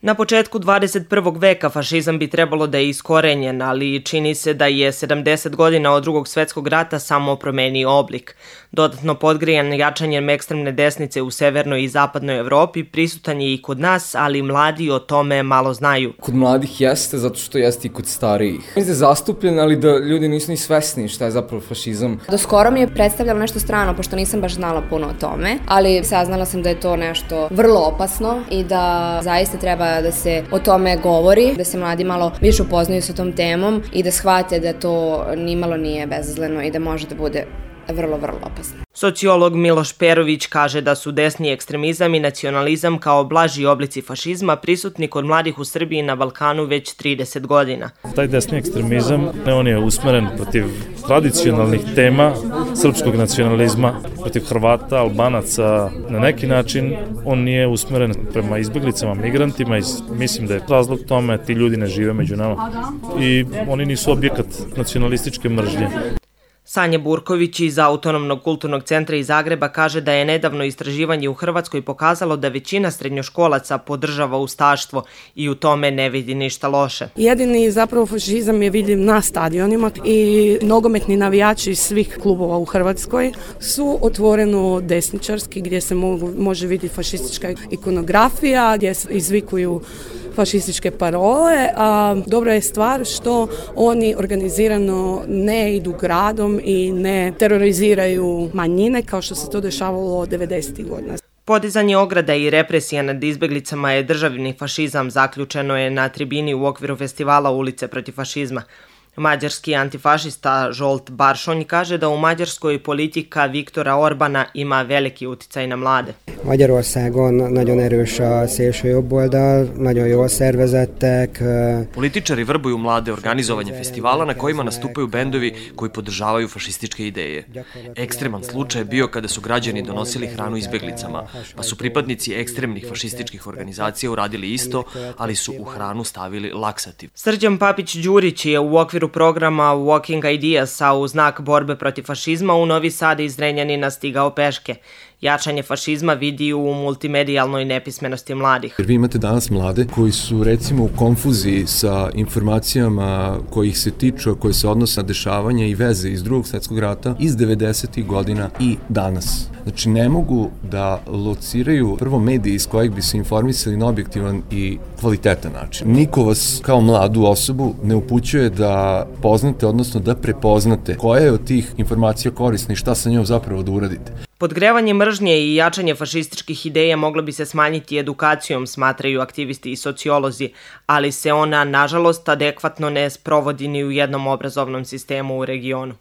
Na početku 21. veka fašizam bi trebalo da je iskorenjen, ali čini se da je 70 godina od Drugog svjetskog rata samo promenio oblik. Dodatno podgrijan jačanjem ekstremne desnice u severnoj i zapadnoj Evropi prisutan je i kod nas, ali mladi o tome malo znaju. Kod mladih jeste, zato što jeste i kod starijih. Mislim da je zastupljen, ali da ljudi nisu ni svesni šta je zapravo fašizam. Do skoro mi je predstavljalo nešto strano, pošto nisam baš znala puno o tome, ali saznala sam da je to nešto vrlo opasno i da zaista treba da se o tome govori, da se mladi malo više upoznaju sa tom temom i da shvate da to nimalo nije bezazleno i da može da bude vrlo opasno. Sociolog Miloš Perović kaže da su desni ekstremizam i nacionalizam kao blaži oblici fašizma prisutni kod mladih u Srbiji i na Balkanu već 30 godina. Taj desni ekstremizam, on je usmeren protiv tradicionalnih tema srpskog nacionalizma, protiv Hrvata, Albanaca. Na neki način on nije usmeren prema izbeglicama, migrantima i mislim da je razlog tome ti ljudi ne žive među nama i oni nisu objekat nacionalističke mržnje. Sanja Burković iz Autonomnog kulturnog centra iz Zagreba kaže da je nedavno istraživanje u Hrvatskoj pokazalo da većina srednjoškolaca podržava ustaštvo i u tome ne vidi ništa loše. Jedini zapravo fašizam je vidljiv na stadionima i nogometni navijači svih klubova u Hrvatskoj su otvoreno desničarski gdje se može vidjeti fašistička ikonografija, gdje se izvikuju fašističke parole, a dobra je stvar što oni organizirano ne idu gradom i ne teroriziraju manjine kao što se to dešavalo 90. godina. Podizanje ograda i represija nad izbeglicama je državni fašizam, zaključeno je na tribini u okviru festivala Ulice protiv fašizma. Mađarski antifašista Zsolt Barsonyi kaže da u Mađarskoj politika Viktora Orbana ima veliki uticaj na mlade. Magyarországon nagyon erős a szélsőjobboldal, nagyon jól szervezettek. Političari vrbuju mlade organizovanje festivala na kojima nastupaju bendovi koji podržavaju fašističke ideje. Ekstreman slučaj je bio kada su građani donosili hranu izbeglicama, pa su pripadnici ekstremnih fašističkih organizacija uradili isto, ali su u hranu stavili laksativ. Srđan Papić-Đurić je u okviru programa Walking Ideas, a u znak borbe protiv fašizma u Novi Sad iz Zrenjanina stigao peške. Jačanje fašizma vidi u multimedijalnoj nepismenosti mladih. Jer vi imate danas mlade koji su recimo u konfuziji sa informacijama kojih se tiču, koje se odnose na dešavanja i veze iz Drugog svjetskog rata, iz 90. godina i danas. Znači ne mogu da lociraju prvo mediji iz kojeg bi se informisali na objektivan i kvalitetan način. Niko vas kao mladu osobu ne upućuje da poznate, odnosno da prepoznate koja je od tih informacija korisna i šta sa njom zapravo da uradite. Podgrevanje mržnje i jačanje fašističkih ideja moglo bi se smanjiti edukacijom, smatraju aktivisti i sociolozi, ali se ona, nažalost, adekvatno ne sprovodi ni u jednom obrazovnom sistemu u regionu.